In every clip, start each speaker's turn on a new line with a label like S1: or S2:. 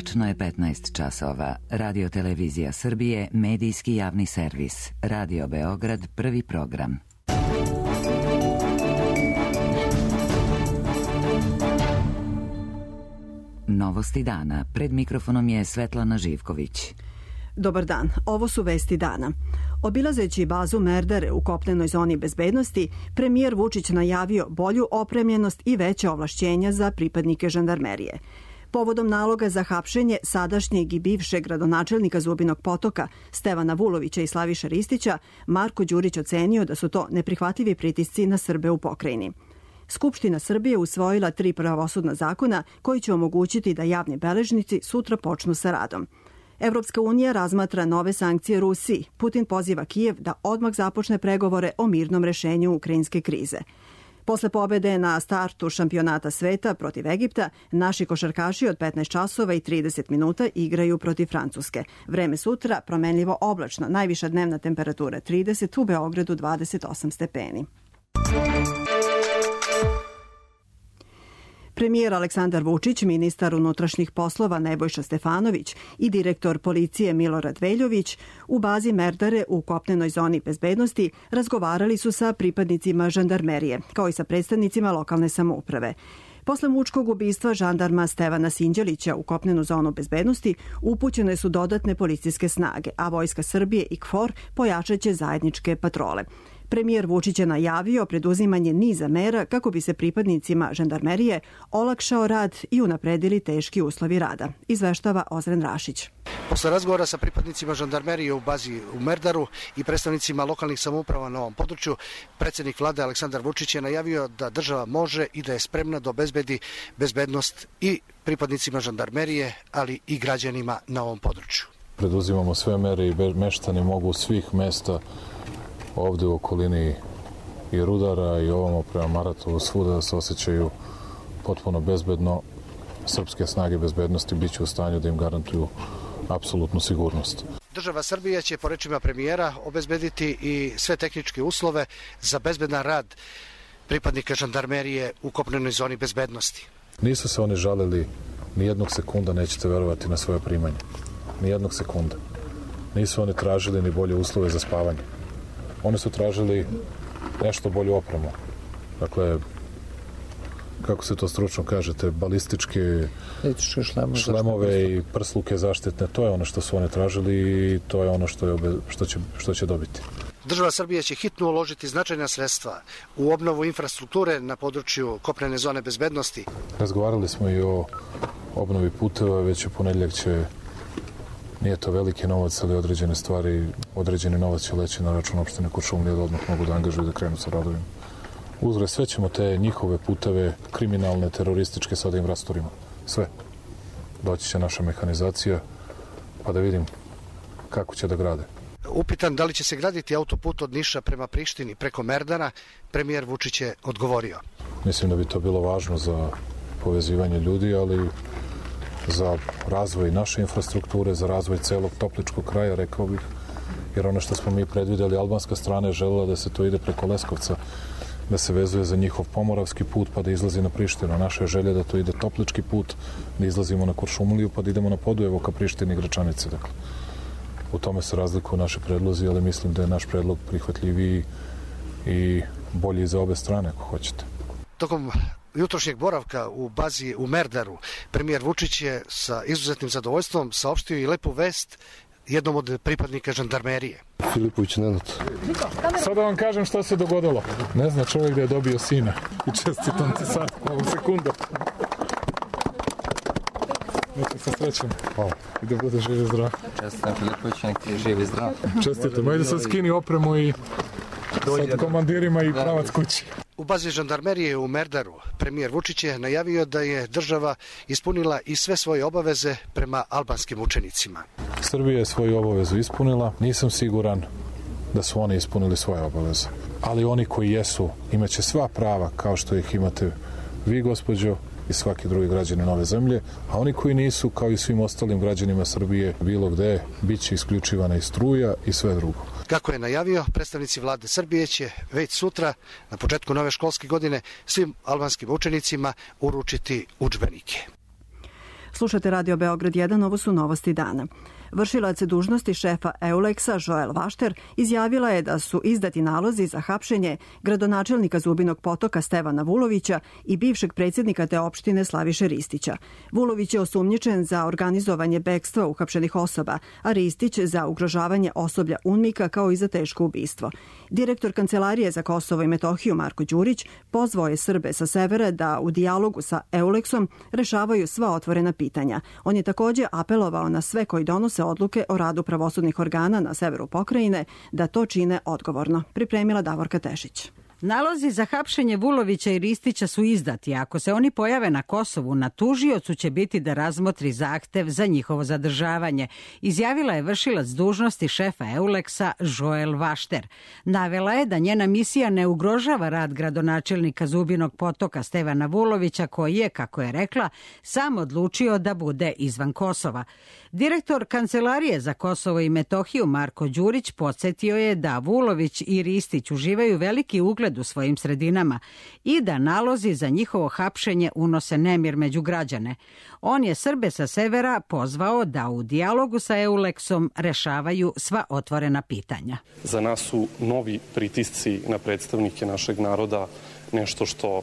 S1: Tačno je 15 časova. Radio Televizija Srbije, medijski javni servis. Radio Beograd, prvi program. Novosti dana. Pred mikrofonom je Svetlana Živković.
S2: Dobar dan, ovo su vesti dana. Obilazeći bazu Merdare u kopnenoj zoni bezbednosti, premijer Vučić najavio bolju opremljenost i veće ovlašćenja za pripadnike žandarmerije. Povodom naloga za hapšenje sadašnjeg i bivšeg gradonačelnika Zubinog Potoka Stevana Vulovića i Slaviše Ristića, Marko Đurić ocenio da su to neprihvatljivi pritisci na Srbe u pokrajini. Skupština Srbije usvojila 3 pravosudna zakona koji će omogućiti da javni beležnici sutra počnu sa radom. Evropska unija razmatra nove sankcije Rusiji. Putin poziva Kijev da odmah započne pregovore o mirnom rešenju ukrajinske krize. Posle pobede na startu šampionata sveta protiv Egipta, naši košarkaši od 15 časova i 30 minuta igraju protiv Francuske. Vreme sutra promenljivo oblačno, najviša dnevna temperatura 30, u Beogradu 28 stepeni. Premijer Aleksandar Vučić, ministar unutrašnjih poslova Nebojša Stefanović i direktor policije Milorad Veljović u bazi Merdare u kopnenoj zoni bezbednosti razgovarali su sa pripadnicima žandarmerije, kao i sa predstavnicima lokalne samouprave. Posle mučkog ubistva žandarma Stevana Sinđelića u kopnenu zonu bezbednosti upućene su dodatne policijske snage, a Vojska Srbije i KFOR pojačaće zajedničke patrole. Premijer Vučić je najavio preduzimanje niza mera kako bi se pripadnicima žandarmerije olakšao rad i unapredili teški uslovi rada, izveštava Ozren Rašić.
S3: Posle razgovora sa pripadnicima žandarmerije u bazi u Merdaru i predstavnicima lokalnih samouprava na ovom području, predsjednik vlade Aleksandar Vučić je najavio da država može i da je spremna da obezbedi bezbednost i pripadnicima žandarmerije, ali i građanima na ovom području.
S4: Preduzimamo sve mere i meštani mogu svih mesta ovde u okolini i Rudara i ovamo prema Maratovu svuda da se osjećaju potpuno bezbedno. Srpske snage bezbednosti bit će u stanju da im garantuju apsolutnu sigurnost.
S3: Država Srbija će, po rečima premijera, obezbediti i sve tehničke uslove za bezbedan rad pripadnika žandarmerije u kopnenoj zoni bezbednosti.
S4: Nisu se oni žalili ni jednog sekunda, nećete verovati, na svoje primanje. Ni jednog sekunda. Nisu oni tražili ni bolje uslove za spavanje. Oni su tražili nešto bolju opremu. Dakle, kako se to stručno kažete, balističke šlemove i prsluke zaštitne, to je ono što su oni tražili i to je ono što će dobiti.
S3: Država Srbije će hitno uložiti značajna sredstva u obnovu infrastrukture na području kopnene zone bezbednosti.
S4: Razgovarali smo i o obnovi puteva, već u ponedjeljak će, nije to veliki novac, ali određene stvari, određeni novac će leći na račun opštine Kuršumlija da odmah mogu da angažuju da krenu sa radovima. Uzgred, sve ćemo te njihove puteve, kriminalne, terorističke, sada im rasturimo. Sve. Doći će naša mehanizacija, pa da vidim kako će da grade.
S3: Upitan da li će se graditi autoput od Niša prema Prištini preko Merdara, premijer Vučić je odgovorio.
S4: Mislim da bi to bilo važno za povezivanje ljudi, ali za razvoj naše infrastrukture, za razvoj celog Topličkog kraja, rekao bih, jer ono što smo mi predvideli, albanska strana je želela da se to ide preko Leskovca, da se vezuje za njihov pomoravski put pa da izlazi na Prištinu. Naša je želja da to ide Toplički put, da izlazimo na Kuršumliju pa da idemo na Podujevo ka Prištini i Gračanice. Dakle, u tome se razlikuju naše predlozi, ali mislim da je naš predlog prihvatljiviji i bolji za obe strane, ako hoćete.
S3: Tokom jutrošnjeg boravka u bazi u Merdaru, premijer Vučić je sa izuzetnim zadovoljstvom saopštio i lepu vest jednom od pripadnika žandarmerije.
S4: Filipović Nenad. Sad da vam kažem šta se dogodilo. Ne zna čovjek da je dobio sina. I čestitam ti sad, ovu sekundu. Neka se srećem. Hvala. I da bude živ i zdrav.
S5: Čestitam Filipović, nek ti je živ i zdrav.
S4: Čestitam. Ajde sad skini opremu i sad komandirima i pravac kući.
S3: U bazi žandarmerije u Merdaru premijer Vučić je najavio da je država ispunila i sve svoje obaveze prema albanskim učenicima.
S4: Srbija je svoju obavezu ispunila. Nisam siguran da su oni ispunili svoje obaveze. Ali oni koji jesu imaće sva prava kao što ih imate vi, gospođo, i svaki drugi građanin ove zemlje, a oni koji nisu, kao i svim ostalim građanima Srbije, bilo gde, bit će isključivana i struja i sve drugo.
S3: Kako je najavio, predstavnici vlade Srbije će već sutra, na početku nove školske godine, svim albanskim učenicima uručiti udžbenike.
S2: Slušate Radio Beograd 1, ovo su novosti dana. Vršilac dužnosti šefa Euleksa Joel Vašter izjavila je da su izdati nalozi za hapšenje gradonačelnika Zubinog Potoka Stevana Vulovića i bivšeg predsjednika te opštine Slaviše Ristića. Vulović je osumnjičen za organizovanje bekstva uhapšenih osoba, a Ristić za ugrožavanje osoblja UNMIK-a kao i za teško ubistvo. Direktor Kancelarije za Kosovo i Metohiju Marko Đurić pozvao je Srbe sa severa da u dijalogu sa Euleksom rešavaju sva otvorena pitanja. On je također apelovao na sve koji donose odluke o radu pravosudnih organa na severu pokrajine da to čine odgovorno. Pripremila Davorka Tešić.
S6: Nalozi za hapšenje Vulovića i Ristića su izdati. Ako se oni pojave na Kosovu, na tužiocu će biti da razmotri zahtev za njihovo zadržavanje, izjavila je vršilac dužnosti šefa Euleksa Joel Vašter. Navela je da njena misija ne ugrožava rad gradonačelnika Zubinog Potoka Stevana Vulovića, koji je, kako je rekla, sam odlučio da bude izvan Kosova. Direktor Kancelarije za Kosovo i Metohiju Marko Đurić podsjetio je da Vulović i Ristić uživaju veliki ugled u svojim sredinama i da nalozi za njihovo hapšenje unose nemir među građane. On je Srbe sa severa pozvao da u dijalogu sa Euleksom rešavaju sva otvorena pitanja.
S7: Za nas su novi pritisci na predstavnike našeg naroda nešto što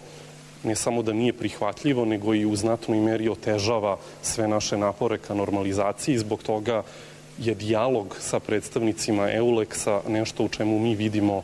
S7: ne samo da nije prihvatljivo, nego i u znatnoj meri otežava sve naše napore ka normalizaciji. Zbog toga je dijalog sa predstavnicima Euleksa nešto u čemu mi vidimo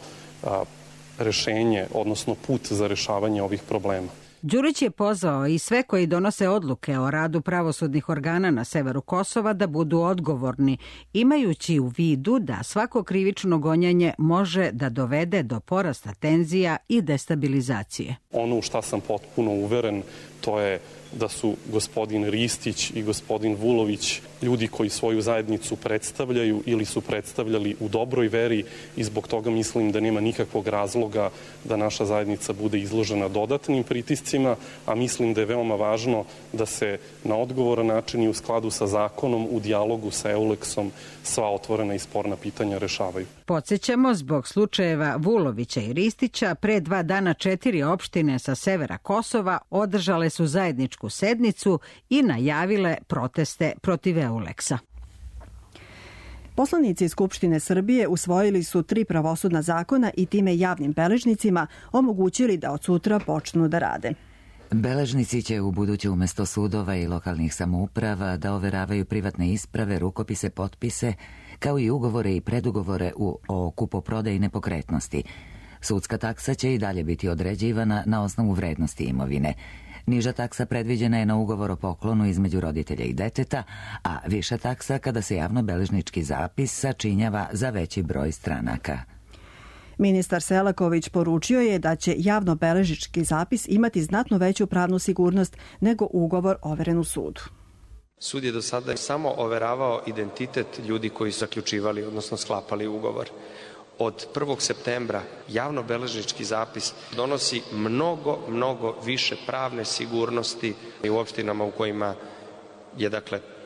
S7: rešenje, odnosno put za rešavanje ovih problema.
S6: Đurić je pozvao i sve koji donose odluke o radu pravosudnih organa na severu Kosova da budu odgovorni, imajući u vidu da svako krivično gonjenje može da dovede do porasta tenzija i destabilizacije.
S7: Ono u šta sam potpuno uveren, to je da su gospodin Ristić i gospodin Vulović ljudi koji svoju zajednicu predstavljaju ili su predstavljali u dobroj veri i zbog toga mislim da nema nikakvog razloga da naša zajednica bude izložena dodatnim pritiscima, a mislim da je veoma važno da se na odgovoran način i u skladu sa zakonom u dijalogu sa Euleksom sva otvorena i sporna pitanja rešavaju.
S6: Podsjećamo, zbog slučajeva Vulovića i Ristića, pre 2 dana 4 opštine sa severa Kosova održale su zajedničku sednicu i najavile proteste protiv Euleksa.
S2: Poslanici Skupštine Srbije usvojili su 3 pravosudna zakona i time javnim beležnicima omogućili da od sutra počnu da rade.
S1: Beležnici će u buduće umjesto sudova i lokalnih samouprava da overavaju privatne isprave, rukopise, potpise, kao i ugovore i predugovore o kupoprodaji nepokretnosti. Sudska taksa će i dalje biti određivana na osnovu vrednosti imovine. Niža taksa predviđena je na ugovor o poklonu između roditelja i deteta, a viša taksa kada se javnobeležnički zapis sačinjava za veći broj stranaka.
S2: Ministar Selaković poručio je da će javnobeležnički zapis imati znatno veću pravnu sigurnost nego ugovor overen u sudu.
S8: Sud je do sada samo overavao identitet ljudi koji su zaključivali, odnosno sklapali ugovor. Od 1. septembra javnobeležnički zapis donosi mnogo više pravne sigurnosti i u opštinama u kojima je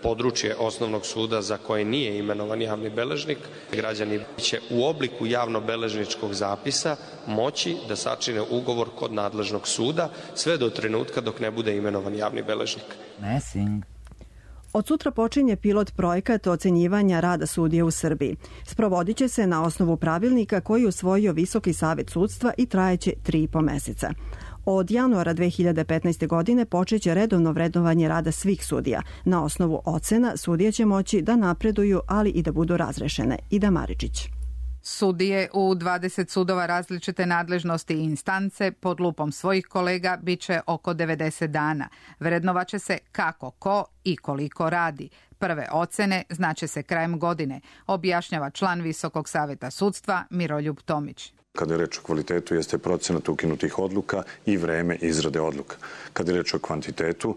S8: područje osnovnog suda za koje nije imenovan javni beležnik. Građani će u obliku javnobeležničkog zapisa moći da sačine ugovor kod nadležnog suda sve do trenutka dok ne bude imenovan javni beležnik.
S2: Od sutra počinje pilot projekat ocenjivanja rada sudija u Srbiji. Sprovodit će se na osnovu pravilnika koji je usvojio Visoki savet sudstva i trajeće 3,5 meseca. Od januara 2015. godine počeće redovno vrednovanje rada svih sudija. Na osnovu ocena sudije će moći da napreduju, ali i da budu razrešene. Ida Maričić.
S9: Sudije u 20 sudova različite nadležnosti i instance pod lupom svojih kolega bit će oko 90 dana. Vrednovaće se kako, ko i koliko radi. Prve ocene znaće se krajem godine, objašnjava član Visokog saveta sudstva Miroljub Tomić.
S10: Kada je reč o kvalitetu, jeste procenat ukinutih odluka i vreme izrade odluka. Kada je reč o kvantitetu,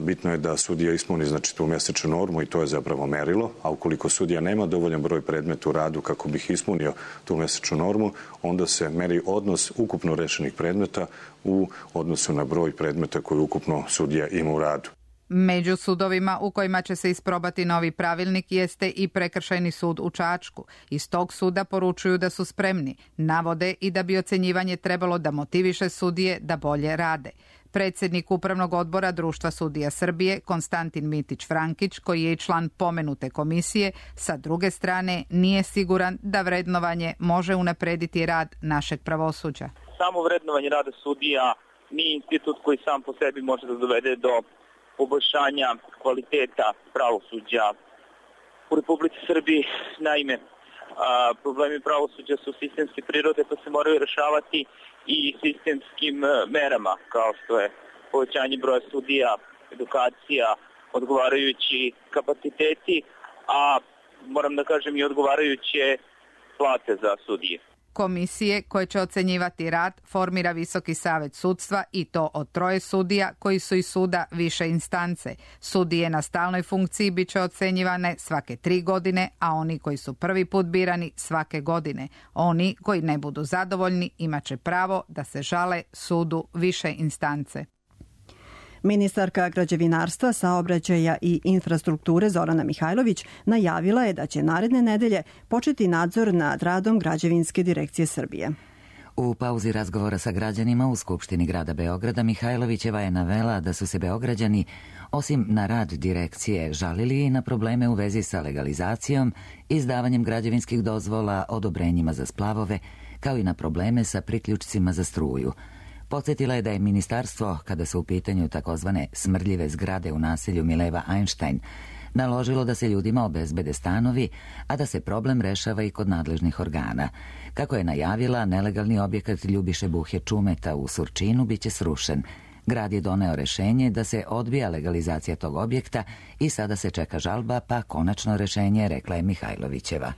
S10: bitno je da sudija ispuni tu mesečnu normu i to je zapravo merilo, a ukoliko sudija nema dovoljan broj predmeta u radu kako bih ispunio tu mesečnu normu, onda se meri odnos ukupno rešenih predmeta u odnosu na broj predmeta koji ukupno sudija ima u radu.
S9: Među sudovima u kojima će se isprobati novi pravilnik jeste i Prekršajni sud u Čačku. Iz tog suda poručuju da su spremni. Navode i da bi ocenjivanje trebalo da motiviše sudije da bolje rade. Predsjednik Upravnog odbora Društva sudija Srbije, Konstantin Mitić-Frankić, koji je i član pomenute komisije, sa druge strane nije siguran da vrednovanje može unaprediti rad našeg pravosuđa.
S11: Samo vrednovanje rada sudija nije institut koji sam po sebi može da dovede do poboljšanja kvaliteta pravosuđa u Republici Srbiji. Naime, problemi pravosuđa su sistemske prirode pa se moraju rešavati i sistemskim merama, kao što je povećanje broja sudija, edukacija, odgovarajući kapaciteti, a moram da kažem i odgovarajuće plate za sudije.
S9: Komisije koje će ocenjivati rad formira Visoki savet sudstva i to od 3 sudija koji su iz suda više instance. Sudije na stalnoj funkciji bit će ocenjivane svake 3 godine, a oni koji su prvi put birani svake godine. Oni koji ne budu zadovoljni imaće pravo da se žale sudu više instance.
S2: Ministarka građevinarstva, saobraćaja i infrastrukture Zorana Mihajlović najavila je da će naredne nedelje početi nadzor nad radom Građevinske direkcije Srbije.
S1: U pauzi razgovora sa građanima u Skupštini grada Beograda Mihajlovićeva je navela da su se Beograđani, osim na rad direkcije, žalili i na probleme u vezi sa legalizacijom, izdavanjem građevinskih dozvola, odobrenjima za splavove, kao i na probleme sa priključcima za struju. Podsjetila je da je ministarstvo, kada su u pitanju takozvane smrdljive zgrade u naselju Mileva Einstein, naložilo da se ljudima obezbede stanovi, a da se problem rešava i kod nadležnih organa. Kako je najavila, nelegalni objekat Ljubiše Buhe Čumeta u Surčinu biće srušen. Grad je doneo rešenje da se odbija legalizacija tog objekta i sada se čeka žalba, pa konačno rešenje, rekla je Mihajlovićeva.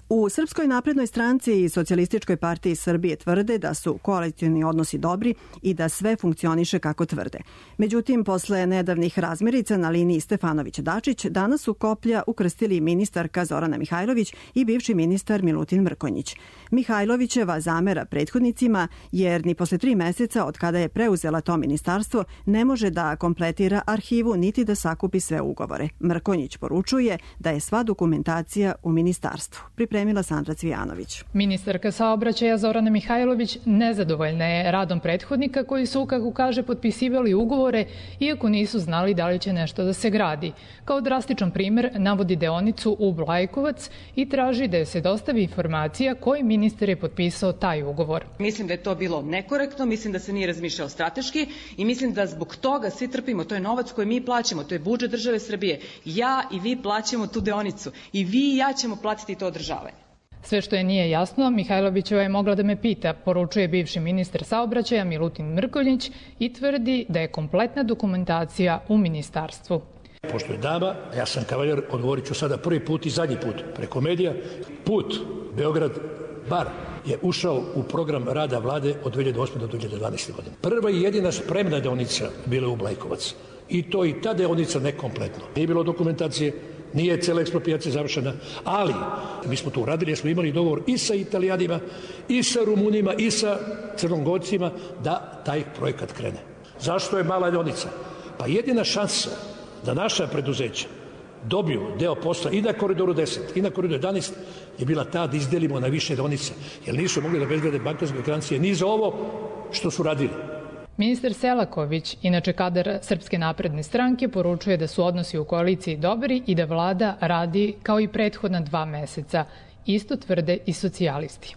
S2: U Srpskoj naprednoj stranci i Socijalističkoj partiji Srbije tvrde da su koalicioni odnosi dobri i da sve funkcioniše kako tvrde. Međutim, posle nedavnih razmirica na liniji Stefanović-Dačić, danas su koplja ukrstili ministarka Zorana Mihajlović i bivši ministar Milutin Mrkonjić. Mihajlovićeva zamera prethodnicima jer ni posle 3 meseca od kada je preuzela to ministarstvo ne može da kompletira arhivu niti da sakupi sve ugovore. Mrkonjić poručuje da je sva dokumentacija u ministarstvu. Pripremila Sandra Cvijanović.
S12: Ministarka saobraćaja Zorana Mihajlović nezadovoljna je radom prethodnika koji su, kako kaže, potpisivali ugovore iako nisu znali da li će nešto da se gradi. Kao drastičan primer navodi deonicu Ub-Lajkovac i traži da se dostavi informacija koji ministar je potpisao taj ugovor.
S13: Mislim da je to bilo nekorektno, mislim da se nije razmišljao strateški i mislim da zbog toga svi trpimo. To je novac koji mi plaćamo, to je budžet države Srbije. Ja i vi plaćamo tu deonicu i vi i ja ćemo platiti to održavanje.
S12: Sve što je nije jasno, Mihajlovićeva je mogla da me pita, poručuje bivši ministar saobraćaja Milutin Mrkonjić i tvrdi da je kompletna dokumentacija u ministarstvu.
S14: Pošto je dama, ja sam kavaljer, odgovorit ću sada prvi put i zadnji put preko medija. Put Beograd-Bar je ušao u program rada vlade od 2008. do 2012. godine. Prva i jedina spremna deonica bila u Blajkovac. I to i ta deonica nekompletno. Nije bilo dokumentacije, nije cela eksproprijacija završena, ali mi smo to uradili jer smo imali dogovor i sa Italijanima, i sa Rumunima, i sa Crnogorcima da taj projekat krene. Zašto je mala deonica? Pa jedina šansa da naša preduzeća dobiju deo posla i na Koridoru 10 i na Koridoru 11 je bila ta da izdelimo na više deonice, jer nisu mogli da bezgrade bankarske garancije ni za ovo što su radili.
S12: Ministar Selaković, inače kadar Srpske napredne stranke, poručuje da su odnosi u koaliciji dobri i da vlada radi kao i prethodna 2 meseca. Isto tvrde i socijalisti.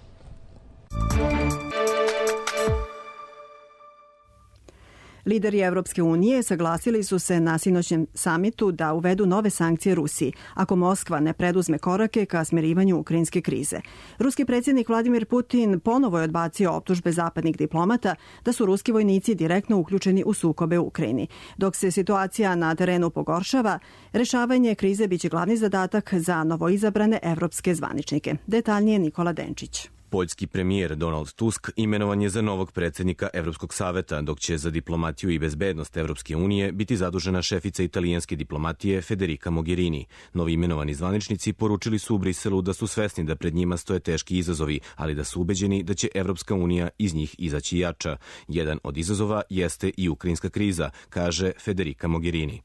S2: Lideri Evropske unije saglasili su se na sinoćnem samitu da uvedu nove sankcije Rusiji, ako Moskva ne preduzme korake ka smirivanju ukrajinske krize. Ruski predsjednik Vladimir Putin ponovo je odbacio optužbe zapadnih diplomata da su ruski vojnici direktno uključeni u sukobe u Ukrajini. Dok se situacija na terenu pogoršava, rešavanje krize biće glavni zadatak za novoizabrane evropske zvaničnike. Detaljnije Nikola Denčić.
S15: Poljski premijer Donald Tusk imenovan je za novog predsjednika Evropskog saveta, dok će za diplomatiju i bezbednost Evropske unije biti zadužena šefica italijanske diplomatije Federica Mogherini. Novi imenovani zvaničnici poručili su u Briselu da su svesni da pred njima stoje teški izazovi, ali da su ubeđeni da će Evropska unija iz njih izaći jača. Jedan od izazova jeste i ukrajinska kriza, kaže Federica Mogherini.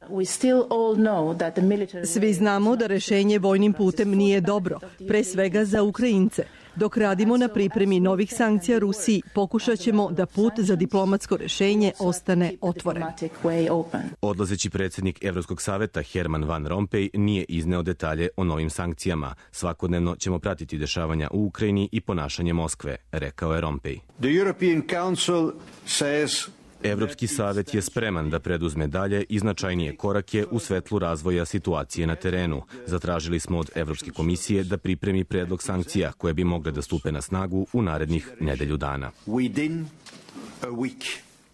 S16: Svi znamo da rešenje vojnim putem nije dobro, pre svega za Ukrajince. Dok radimo na pripremi novih sankcija Rusiji, pokušat ćemo da put za diplomatsko rešenje ostane otvoren.
S15: Odlazeći predsjednik Evropskog saveta Herman Van Rompuy nije izneo detalje o novim sankcijama. Svakodnevno ćemo pratiti dešavanja u Ukrajini i ponašanje Moskve, rekao je Rompuy. Evropski savet je spreman da preduzme dalje i značajnije korake u svetlu razvoja situacije na terenu. Zatražili smo od Evropske komisije da pripremi predlog sankcija koje bi mogle da stupe na snagu u narednih nedelju dana.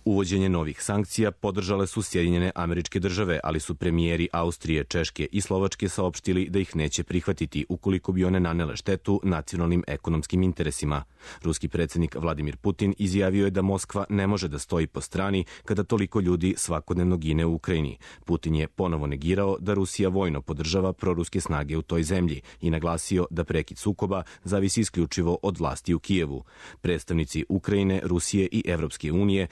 S15: Uvođenje novih sankcija podržale su Sjedinjene Američke Države, ali su premijeri Austrije, Češke i Slovačke saopštili da ih neće prihvatiti ukoliko bi one nanele štetu nacionalnim ekonomskim interesima. Ruski predsjednik Vladimir Putin izjavio je da Moskva ne može da stoji po strani kada toliko ljudi svakodnevno gine u Ukrajini. Putin je ponovo negirao da Rusija vojno podržava proruske snage u toj zemlji i naglasio da prekid sukoba zavisi isključivo od vlasti u Kijevu. Predstavnici Ukrajine, Rusije i Evropske unije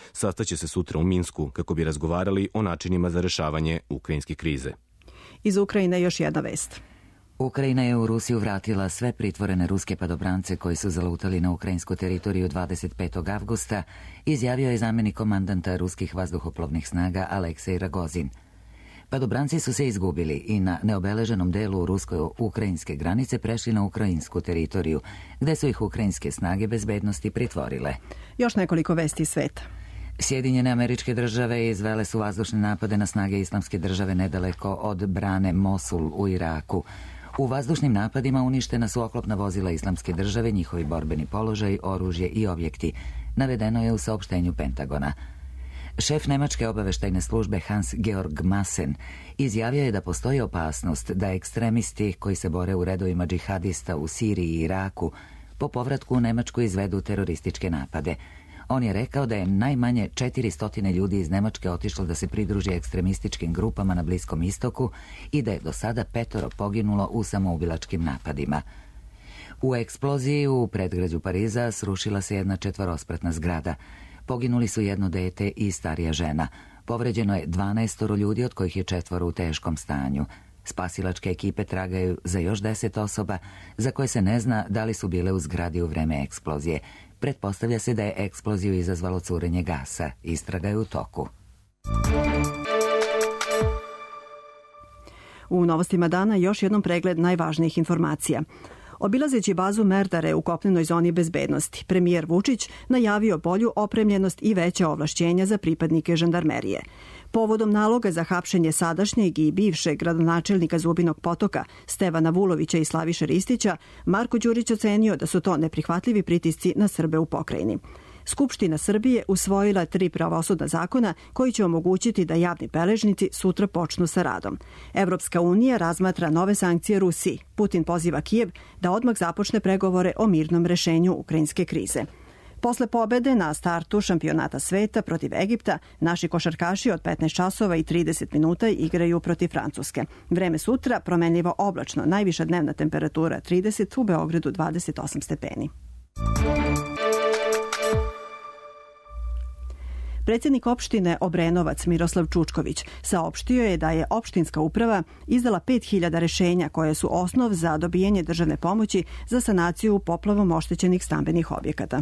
S15: će se sutra u Minsku kako bi razgovarali o načinima za rešavanje ukrajinske krize.
S2: Iz Ukrajine još jedna vest.
S1: Ukrajina je u Rusiju vratila sve pritvorene ruske padobrance koji su zalutali na ukrajinsku teritoriju 25. avgusta, izjavio je zamjenik komandanta ruskih vazduhoplovnih snaga Aleksej Ragozin. Padobranci su se izgubili i na neobeleženom delu rusko-ukrajinske granice prešli na ukrajinsku teritoriju, gde su ih ukrajinske snage bezbednosti pritvorile.
S2: Još nekoliko vesti sveta.
S1: Sjedinjene Američke Države izvele su vazdušne napade na snage Islamske države nedaleko od brane Mosul u Iraku. U vazdušnim napadima uništena su oklopna vozila Islamske države, njihovi borbeni položaj, oružje i objekti. Navedeno je u saopštenju Pentagona. Šef nemačke obaveštajne službe Hans-Georg Maassen izjavio je da postoji opasnost da ekstremisti koji se bore u redovima džihadista u Siriji i Iraku po povratku u Nemačku izvedu terorističke napade. On je rekao da je najmanje 400 ljudi iz Nemačke otišlo da se pridruži ekstremističkim grupama na Bliskom istoku i da je do sada 5 poginulo u samoubilačkim napadima. U eksploziji u predgrađu Pariza srušila se jedna 4-spratna zgrada. Poginuli su jedno dete i starija žena. Povređeno je 12 ljudi, od kojih je 4 u teškom stanju. Spasilačke ekipe tragaju za još 10 osoba za koje se ne zna da li su bile u zgradi u vreme eksplozije. Pretpostavlja se da je eksploziju izazvalo curenje gasa. Istraga je u toku.
S2: U novostima dana još jednom pregled najvažnijih informacija. Obilazeći bazu Merdare u kopnenoj zoni bezbednosti, premijer Vučić najavio bolju opremljenost i veća ovlašćenja za pripadnike žandarmerije. Povodom naloga za hapšenje sadašnjeg i bivšeg gradonačelnika Zubinog Potoka Stevana Vulovića i Slaviše Ristića, Marko Đurić ocenio da su to neprihvatljivi pritisci na Srbe u pokrajini. Skupština Srbije usvojila 3 pravosudna zakona koji će omogućiti da javni beležnici sutra počnu sa radom. Evropska unija razmatra nove sankcije Rusiji. Putin poziva Kijev da odmah započne pregovore o mirnom rešenju ukrajinske krize. Posle pobede na startu šampionata sveta protiv Egipta, naši košarkaši od 15 časova i 30 minuta igraju protiv Francuske. Vreme sutra promenljivo oblačno, najviša dnevna temperatura 30, u Beogradu 28 stepeni. Predsjednik opštine Obrenovac Miroslav Čučković saopštio je da je opštinska uprava izdala 5000 rešenja koje su osnov za dobijanje državne pomoći za sanaciju poplavom oštećenih stambenih objekata.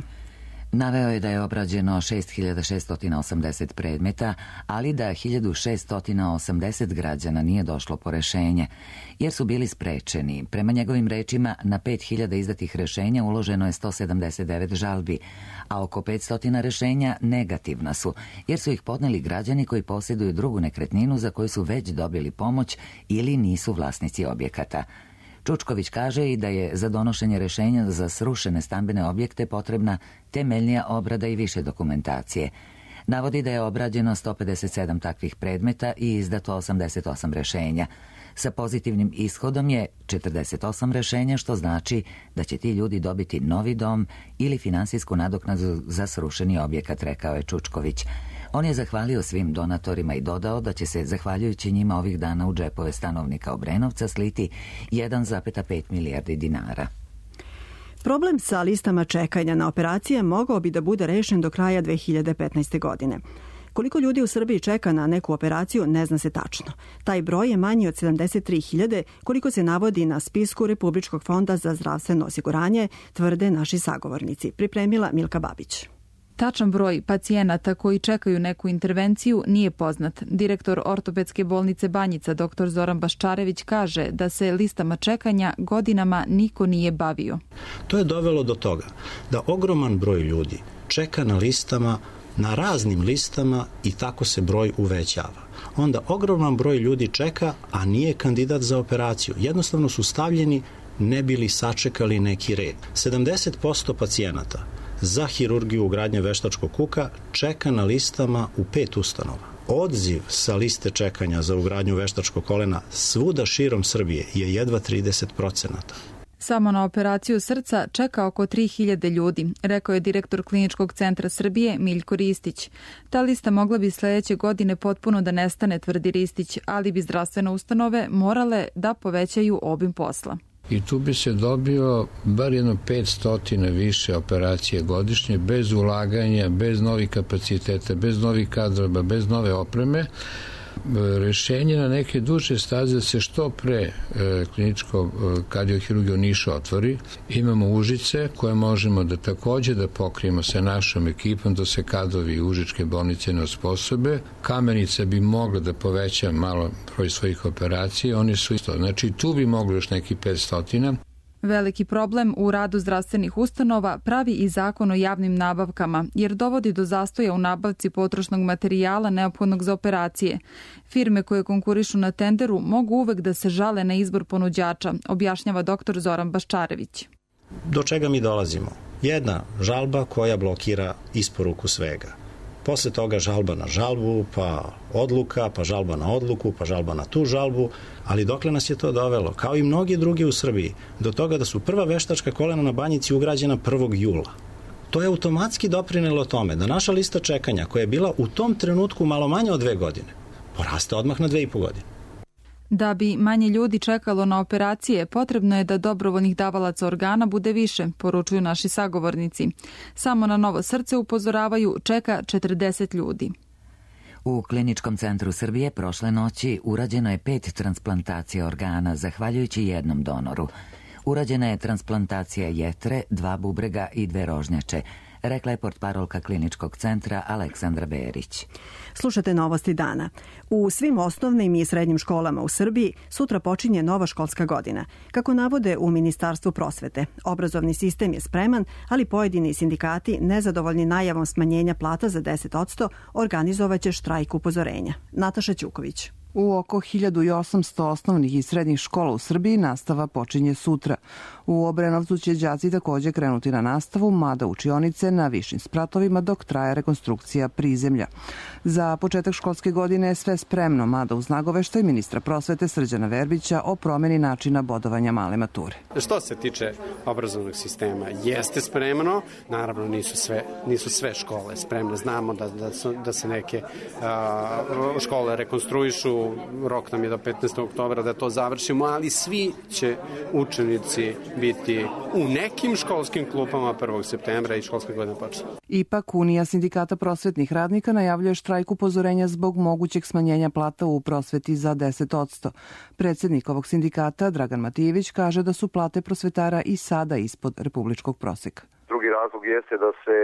S1: Naveo je da je obrađeno 6680 predmeta, ali da 1680 građana nije došlo po rešenje, jer su bili sprečeni. Prema njegovim rečima, na 5000 izdatih rešenja uloženo je 179 žalbi, a oko 500 rešenja negativna su, jer su ih podneli građani koji posjeduju drugu nekretninu za koju su već dobili pomoć ili nisu vlasnici objekata. Čučković kaže i da je za donošenje rešenja za srušene stambene objekte potrebna temeljnija obrada i više dokumentacije. Navodi da je obrađeno 157 takvih predmeta i izdato 88 rešenja. Sa pozitivnim ishodom je 48 rešenja, što znači da će ti ljudi dobiti novi dom ili finansijsku nadoknadu za srušeni objekat, rekao je Čučković. On je zahvalio svim donatorima i dodao da će se, zahvaljujući njima, ovih dana u džepove stanovnika Obrenovca sliti 1,5 milijardi dinara.
S2: Problem sa listama čekanja na operacije mogao bi da bude rešen do kraja 2015. godine. Koliko ljudi u Srbiji čeka na neku operaciju ne zna se tačno. Taj broj je manji od 73.000 koliko se navodi na spisku Republičkog fonda za zdravstveno osiguranje, tvrde naši sagovornici. Pripremila Milka Babić.
S17: Tačan broj pacijenata koji čekaju neku intervenciju nije poznat. Direktor ortopedske bolnice Banjica, dr. Zoran Baščarević, kaže da se listama čekanja godinama niko nije bavio.
S18: To je dovelo do toga da ogroman broj ljudi čeka na listama, na raznim listama i tako se broj uvećava. Onda ogroman broj ljudi čeka, a nije kandidat za operaciju. Jednostavno su stavljeni ne bili sačekali neki red. 70% pacijenata za hirurgiju ugradnje veštačkog kuka čeka na listama u 5 ustanova. Odziv sa liste čekanja za ugradnju veštačkog kolena svuda širom Srbije je jedva 30%.
S17: Samo na operaciju srca čeka oko 3.000 ljudi, rekao je direktor Kliničkog centra Srbije Miljko Ristić. Ta lista mogla bi sledeće godine potpuno da nestane, tvrdi Ristić, ali bi zdravstvene ustanove morale da povećaju obim posla.
S19: I tu bi se dobio bar jedno 500 više operacije godišnje, bez ulaganja, bez novih kapaciteta, bez novih kadrova, bez nove opreme. Rešenje na neke duže staze da se što pre kliničko kardiohirurgija u Nišu otvori. Imamo Užice koje možemo da takođe da pokrijemo sa našom ekipom, da se kadrovi Užičke bolnice ne osposobe. Kamenica bi mogla da poveća malo broj svojih operacija, oni su isto. Znači tu bi moglo još neki 500.
S17: Veliki problem u radu zdravstvenih ustanova pravi i zakon o javnim nabavkama, jer dovodi do zastoja u nabavci potrošnog materijala neophodnog za operacije. Firme koje konkurišu na tenderu mogu uvek da se žale na izbor ponuđača, objašnjava dr. Zoran Baščarević.
S18: Do čega mi dolazimo? Jedna žalba koja blokira isporuku svega. Posle toga žalba na žalbu, pa odluka, pa žalba na odluku, pa žalba na tu žalbu, ali dokle nas je to dovelo, kao i mnogi drugi u Srbiji, do toga da su prva veštačka kolena na Banjici ugrađena 1. jula. To je automatski doprinelo tome da naša lista čekanja, koja je bila u tom trenutku malo manje od 2 godine, poraste odmah na 2,5 godine.
S17: Da bi manje ljudi čekalo na operacije, potrebno je da dobrovoljnih davalaca organa bude više, poručuju naši sagovornici. Samo na novo srce, upozoravaju, čeka 40 ljudi.
S1: U Kliničkom centru Srbije prošle noći urađeno je 5 transplantacija organa, zahvaljujući jednom donoru. Urađena je transplantacija jetre, 2 bubrega i 2 rožnjače, rekla je portparolka Kliničkog centra Aleksandra Berić.
S2: Slušate Novosti dana. U svim osnovnim i srednjim školama u Srbiji sutra počinje nova školska godina. Kako navode u Ministarstvu prosvete, obrazovni sistem je spreman, ali pojedini sindikati, nezadovoljni najavom smanjenja plata za 10%, organizovaće štrajk upozorenja. Nataša Ćuković.
S20: U oko 1800 osnovnih i srednjih škola u Srbiji nastava počinje sutra. U Obrenovcu će đaci takođe krenuti na nastavu, mada učionice na višim spratovima dok traje rekonstrukcija prizemlja. Za početak školske godine je sve spremno, mada uz nagoveštaj ministra prosvete Srđana Verbića o promeni načina bodovanja male mature.
S21: Što se tiče obrazovnog sistema, jeste spremno, naravno nisu sve škole spremne. Znamo da se neke škole rekonstruišu, rok nam je do 15. oktobra da to završimo, ali svi će učenici biti u nekim školskim klupama 1. septembra i školska godina počne.
S20: Ipak, Unija sindikata prosvetnih radnika najavljuje štrajk upozorenja zbog mogućeg smanjenja plata u prosveti za 10%. Predsednik ovog sindikata, Dragan Matijević, kaže da su plate prosvetara i sada ispod republičkog proseka.
S22: Drugi razlog jeste da se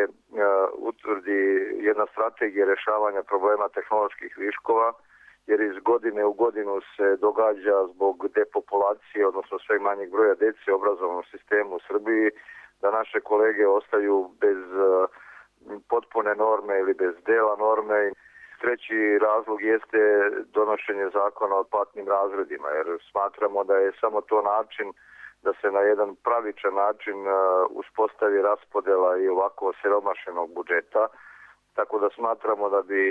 S22: utvrdi jedna strategija rešavanja problema tehnoloških viškova, jer iz godine u godinu se događa zbog depopulacije, odnosno sve manjeg broja dece u obrazovnom sistemu u Srbiji, da naše kolege ostaju bez potpune norme ili bez dela norme. Treći razlog jeste donošenje zakona o platnim razredima, jer smatramo da je samo to način da se na jedan pravičan način uspostavi raspodela i ovako siromašenog budžeta, tako da smatramo da bi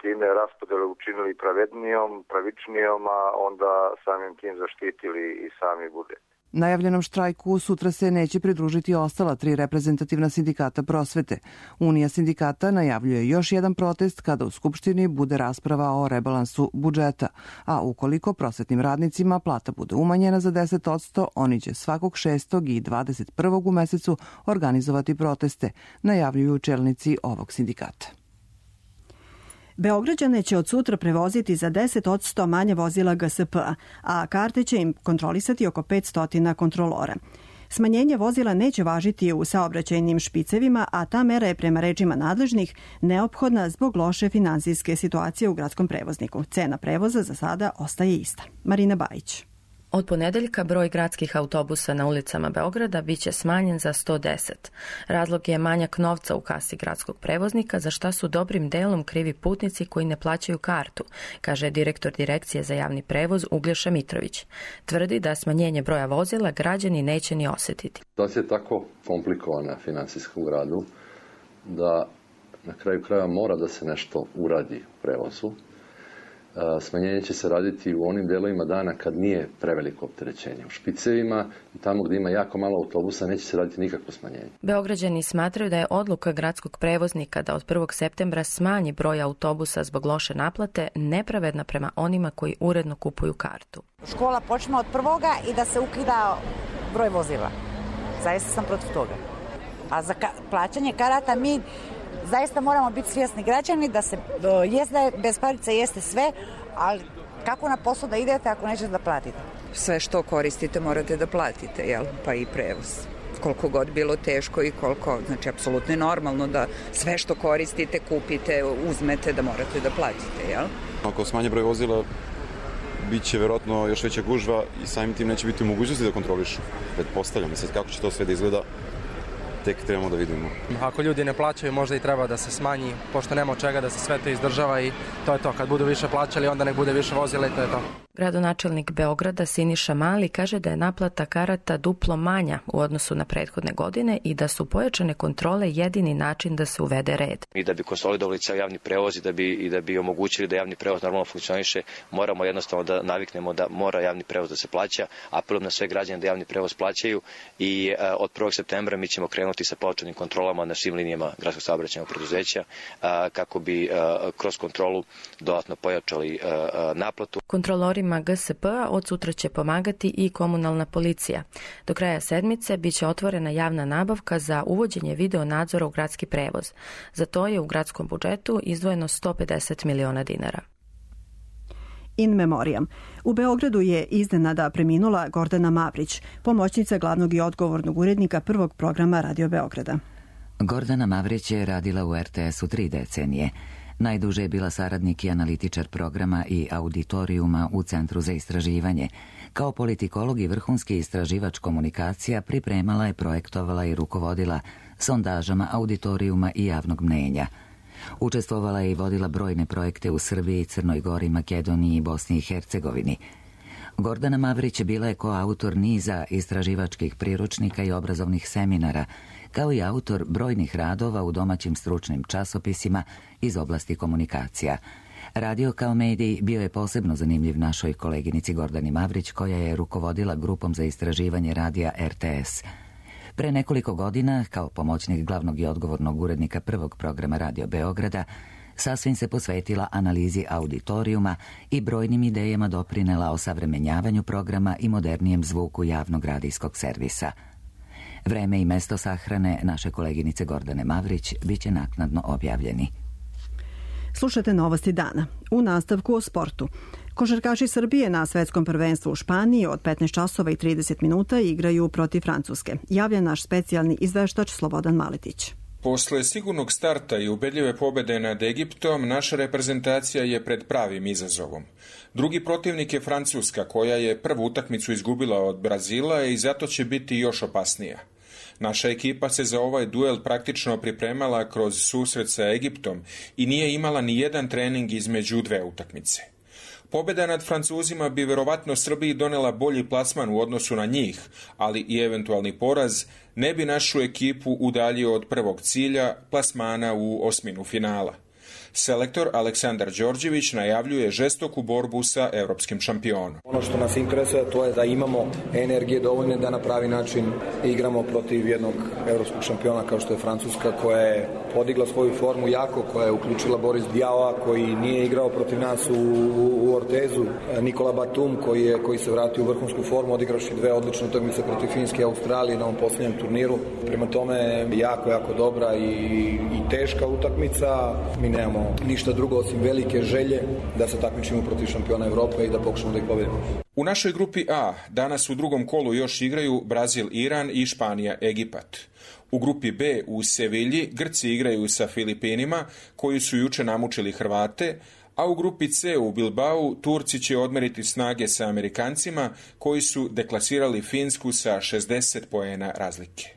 S22: time raspodelu učinili pravednijom, pravičnijom, a onda samim tim zaštitili i sami budžet.
S20: Najavljenom štrajku sutra se neće pridružiti ostala 3 reprezentativna sindikata prosvete. Unija sindikata najavljuje još jedan protest kada u Skupštini bude rasprava o rebalansu budžeta, a ukoliko prosvetnim radnicima plata bude umanjena za 10%, oni će svakog 6. i 21. u mesecu organizovati proteste, najavljuju čelnici ovog sindikata.
S2: Beograđane će od sutra prevoziti za 10% manje vozila GSP-a, a karte će im kontrolisati oko 500 kontrolora. Smanjenje vozila neće važiti u saobraćajnim špicevima, a ta mera je prema rečima nadležnih neophodna zbog loše finansijske situacije u gradskom prevozniku. Cena prevoza za sada ostaje ista. Marina Bajić.
S4: Od ponedeljka broj gradskih autobusa na ulicama Beograda biće smanjen za 110. Razlog je manjak novca u kasi gradskog prevoznika, za šta su dobrim delom krivi putnici koji ne plaćaju kartu, kaže direktor Direkcije za javni prevoz Uglješa Mitrović. Tvrdi da smanjenje broja vozila građani neće ni osjetiti.
S5: Situacija je tako komplikovana finansijska u gradu da na kraju krajeva mora da se nešto uradi u prevozu. Smanjenje će se raditi u onim delovima dana kad nije preveliko opterećenje. U špicevima i tamo gdje ima jako malo autobusa neće se raditi nikakvo smanjenje.
S4: Beograđani smatraju da je odluka gradskog prevoznika da od 1. septembra smanji broj autobusa zbog loše naplate nepravedna prema onima koji uredno kupuju kartu.
S23: Škola počne od 1. i da se ukida broj vozila. Zaista sam protiv toga. A za plaćanje karata mi zaista moramo biti svjesni građani da se jezda bez parice jeste sve, ali kako na posao da idete ako nećete da platite?
S24: Sve što koristite morate da platite, jel? Pa i prevoz. Koliko god bilo teško i koliko, znači apsolutno je normalno da sve što koristite, kupite, uzmete, da morate da platite, jel?
S25: Ako smanje broj vozila, bit će vjerojatno još veća gužva i samim tim neće biti u mogućnosti da kontrolišu. Pretpostavljam, sad kako će to sve da izgleda, tek trebamo da vidimo.
S26: Ako ljudi ne plaćaju, možda i treba da se smanji, pošto nema od čega da se sve to izdržava i to je to. Kad budu više plaćali, onda nek bude više vozila i to je to.
S4: Gradonačelnik Beograda Siniša Mali kaže da je naplata karata duplo manja u odnosu na prethodne godine i da su pojačane kontrole jedini način da se uvede red.
S27: I da bi konsolidovali ceo javni prevoz i da bi omogućili da javni prevoz normalno funkcioniše, moramo jednostavno da naviknemo da mora javni prevoz da se plaća, apelujem na sve građane da javni prevoz plaćaju i od 1. septembra mi ćemo krenuti sa pojačanim kontrolama na svim linijama gradskog saobraćajnog preduzeća kako bi kroz kontrolu dodatno pojačali naplatu.
S4: Kontrolorima GSP-a od sutra će pomagati i komunalna policija. Do kraja sedmice biće otvorena javna nabavka za uvođenje video nadzora u gradski prevoz. Za to je u gradskom budžetu izdvojeno 150 miliona dinara.
S2: In memoriam. U Beogradu je iznenada preminula Gordana Mavrić, pomoćnica glavnog i odgovornog urednika prvog programa Radio Beograda.
S1: Gordana Mavrić je radila u RTS-u 3 decenije. Najduže je bila saradnik i analitičar programa i auditorijuma u Centru za istraživanje. Kao politikolog i vrhunski istraživač komunikacija pripremala je, projektovala i rukovodila sondažama auditorijuma i javnog mnenja. Učestvovala je i vodila brojne projekte u Srbiji, Crnoj Gori, Makedoniji i Bosni i Hercegovini. Gordana Mavrić bila je koautor niza istraživačkih priručnika i obrazovnih seminara, kao i autor brojnih radova u domaćim stručnim časopisima iz oblasti komunikacija. Radio kao medij bio je posebno zanimljiv našoj koleginici Gordani Mavrić, koja je rukovodila grupom za istraživanje radija RTS. Pre nekoliko godina, kao pomoćnik glavnog i odgovornog urednika prvog programa Radio Beograda, sasvim se posvetila analizi auditorijuma i brojnim idejama doprinela osavremenjavanju programa i modernijem zvuku javnog radijskog servisa. Vreme i mesto sahrane naše koleginice Gordane Mavrić biće naknadno objavljeni.
S2: Slušate novosti dana. U nastavku o sportu. Košarkaši Srbije na svetskom prvenstvu u Španiji od 15 časova i 30 minuta igraju protiv Francuske. Javlja naš specijalni izveštač Slobodan Maletić.
S28: Posle sigurnog starta i ubedljive pobede nad Egiptom, naša reprezentacija je pred pravim izazovom. Drugi protivnik je Francuska, koja je prvu utakmicu izgubila od Brazila i zato će biti još opasnija. Naša ekipa se za ovaj duel praktično pripremala kroz susret sa Egiptom i nije imala ni jedan trening između dve utakmice. Pobjeda nad Francuzima bi verovatno Srbiji donela bolji plasman u odnosu na njih, ali i eventualni poraz ne bi našu ekipu udaljio od prvog cilja, plasmana u osminu finala. Selektor Aleksandar Đorđević najavljuje žestoku borbu sa evropskim šampionom.
S29: Ono što nas interesuje to je da imamo energije dovoljne da na pravi način igramo protiv jednog evropskog šampiona kao što je Francuska, koja je podigla svoju formu jako, koja je uključila Boris Diawa koji nije igrao protiv nas u Ortezu, Nikola Batum koji se vratio u vrhunsku formu odigravši dve odlične utakmice protiv Finske i Australije na ovom posljednjem turniru. Prema tome jako dobra i teška utakmica. Mi nemamo nemamo ništa drugo osim velike želje da se takmičimo protiv šampiona Evrope i da pokušamo da ih pobedimo.
S28: U našoj grupi A danas u drugom kolu još igraju Brazil, Iran i Španija, Egipat. U grupi B u Sevilji Grci igraju sa Filipinima, koji su juče namučili Hrvate, a u grupi C u Bilbao Turci će odmeriti snage sa Amerikancima, koji su deklasirali Finsku sa 60 poena razlike.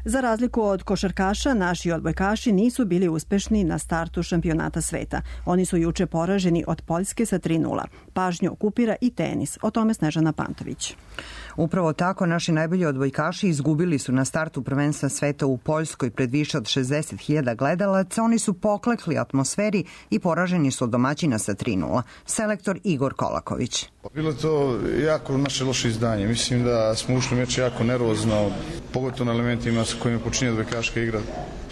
S2: Za razliku od košarkaša, naši odbojkaši nisu bili uspešni na startu šampionata sveta. Oni su juče poraženi od Poljske sa 3:0. Pažnju okupira i tenis. O tome Snežana Pantović.
S3: Upravo tako, naši najbolji odbojkaši izgubili su na startu prvenstva sveta u Poljskoj pred više od 60.000 gledalaca. Oni su poklekli atmosferi i poraženi su od domaćina sa 3:0. Selektor Igor Kolaković.
S6: Bilo je to jako naše loše izdanje. Mislim da smo ušli meč jako nervozno, pogotovo na elementima sa kojima počinje odbojkaška igra,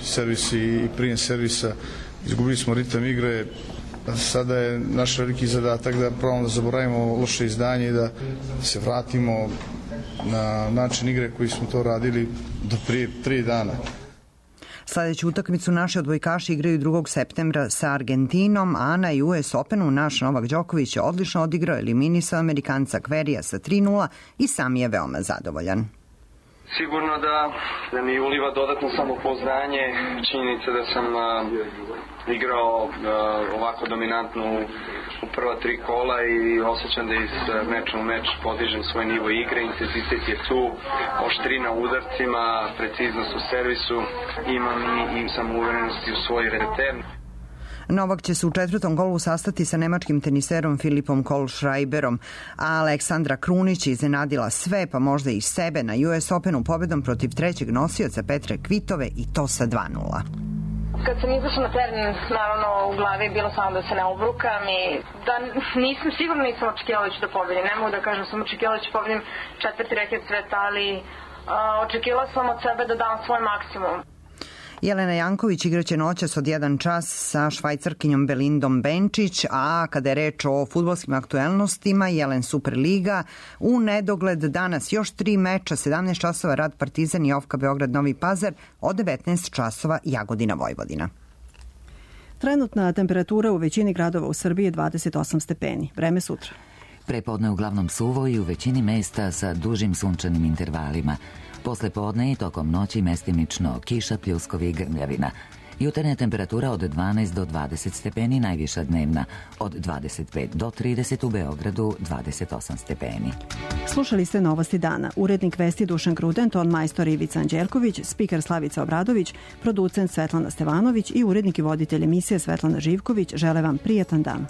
S6: servisi i prijem servisa. Izgubili smo ritam igre. Sada je naš veliki zadatak da probamo da zaboravimo loše izdanje i da se vratimo na način igre koji smo to radili do prije 3 dana.
S3: Sljedeću utakmicu naši odbojkaši igraju 2. septembra sa Argentinom, a na US Openu naš Novak Đoković je odlično odigrao, eliminisao Amerikanca Kverija sa 3:0 i sam je veoma zadovoljan.
S7: Sigurno da mi uliva dodatno samopouzdanje, činjenica da sam igrao ovako dominantno u prva 3 kola i osjećam da iz meča u meč podižem svoj nivo igre, intenzitet je tu, oštrina u udarcima, preciznost u servisu, imam i samouverenosti u svoj return.
S3: Novak će se u 4. kolu sastati sa nemačkim teniserom Filipom Kohlschreiberom, a Aleksandra Krunić je iznenadila sve, pa možda i sebe, na US Openu pobedom protiv 3. nosioca Petre Kvitove i to sa 2:0.
S8: Kad sam izašla na teren, naravno u glavi je bilo samo da se ne obrukam i da nisam očekivala da ću da pobedim. Ne mogu da kažem, sam očekivala da ću pobedim 4. reket sveta, ali očekivala sam od sebe da dam svoj maksimum.
S3: Jelena Janković igraće noćas od 1 čas sa švajcarkinjom Belindom Benčić, a kada je reč o fudbalskim aktuelnostima, Jelen Superliga, u nedogled danas još 3 meča, 17 časova Rad Partizan i Ofka Beograd Novi Pazar, od 19 časova Jagodina Vojvodina.
S2: Trenutna temperatura u većini gradova u Srbiji je 28 stepeni. Vreme sutra.
S1: Prepodne uglavnom suvo i u većini mesta sa dužim sunčanim intervalima. Posle podne i tokom noći mestimično kiša, pljuskovi i grmljavina. Jutarnja temperatura od 12 do 20 stepeni, najviša dnevna od 25 do 30, u Beogradu 28 stepeni.
S2: Slušali ste Novosti dana. Urednik vesti Dušan Gruden, ton majstor Ivica Anđelković, spiker Slavica Obradović, producent Svetlana Stevanović i urednik i voditelj emisije Svetlana Živković žele vam prijatan dan.